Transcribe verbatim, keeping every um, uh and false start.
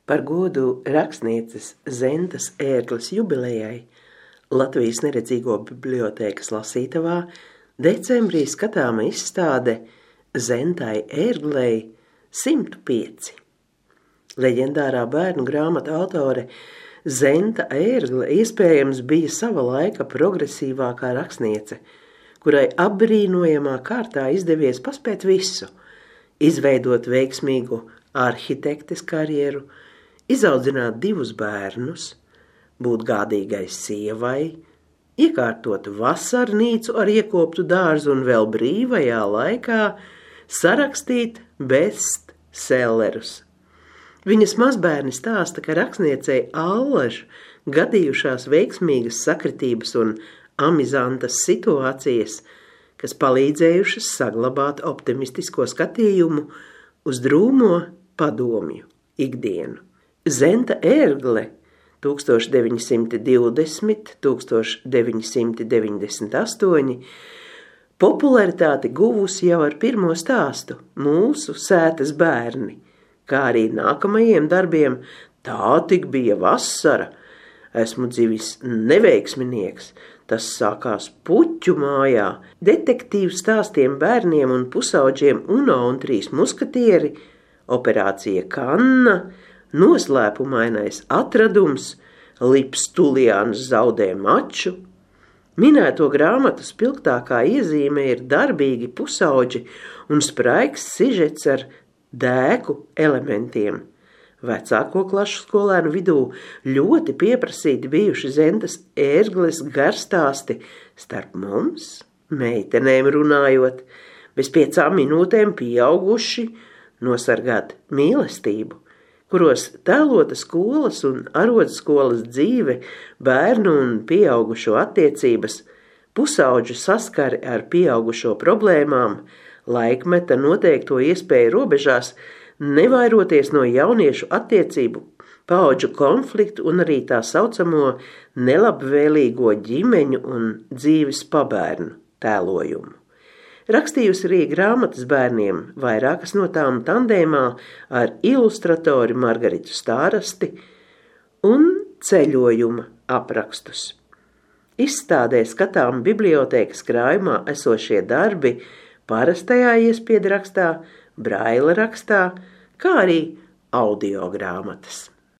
Par godu rakstnieces Zentas Ērgles jubilejai Latvijas Neredzīgo bibliotēkas lasītavā decembrī skatāma izstāde Zentai Ērglei simt pieci. Leģendārā bērnu grāmatu autore Zenta Ērgle iespējams bija sava laika progresīvākā rakstniece, kurai apbrīnojamā kārtā izdevies paspēt visu, izveidot veiksmīgu arhitektes karjeru, izaudzināt divus bērnus, būt gādīgai sievai, iekārtot vasarnīcu ar iekoptu dārzu un vēl brīvajā laikā sarakstīt bestsellerus. Viņas mazbērni stāsta, ka rakstniecei allaž gadījušās veiksmīgas sakritības un amizantas situācijas, kas palīdzējušas saglabāt optimistisko skatījumu uz drūmo padomju ikdienu. Zenta Ērgle tūkstoš deviņi simti divdesmit līdz tūkstoš deviņi simti deviņdesmit astoņi popularitāti guvusi jau ar pirmo stāstu Mūsu sētas bērni, kā arī nākamajiem darbiem Tā tik bija vasara, Esmu dzivis neveiksminieks, Tas sākās Puķu mājā, detektīvu stāstiem bērniem un pusaudžiem Uno un trīs muskatieri, Operācija Kanna, Noslēpumainais atradums, Lips Tuliāns zaudē maču. Minēto grāmatu spilgtākā iezīme ir darbīgi pusauģi un spraigs sižets ar dēku elementiem. Vecāko klašu skolēnu vidū ļoti pieprasīti bijuši Zentas Ērgles garstāsti Starp mums, meitenēm runājot, bez piecām minūtēm pieauguši nosargāt mīlestību, kuros tēlota skolas un arodskolas dzīve, bērnu un pieaugušo attiecības, pusauģu saskari ar pieaugušo problēmām, laikmeta noteikto iespēju robežās, nevairoties no jauniešu attiecību, paudžu konfliktu un arī tā saucamo nelabvēlīgo ģimeņu un dzīves pabērnu tēlojumu. Rakstījusi arī grāmatas bērniem, vairākas no tām tandēmā ar ilustratori Margaritu Stārasti un ceļojuma aprakstus. Izstādē skatām bibliotēkas krājumā esošie darbi parastajā iespiedu rakstā, braila rakstā, kā arī audio grāmatas.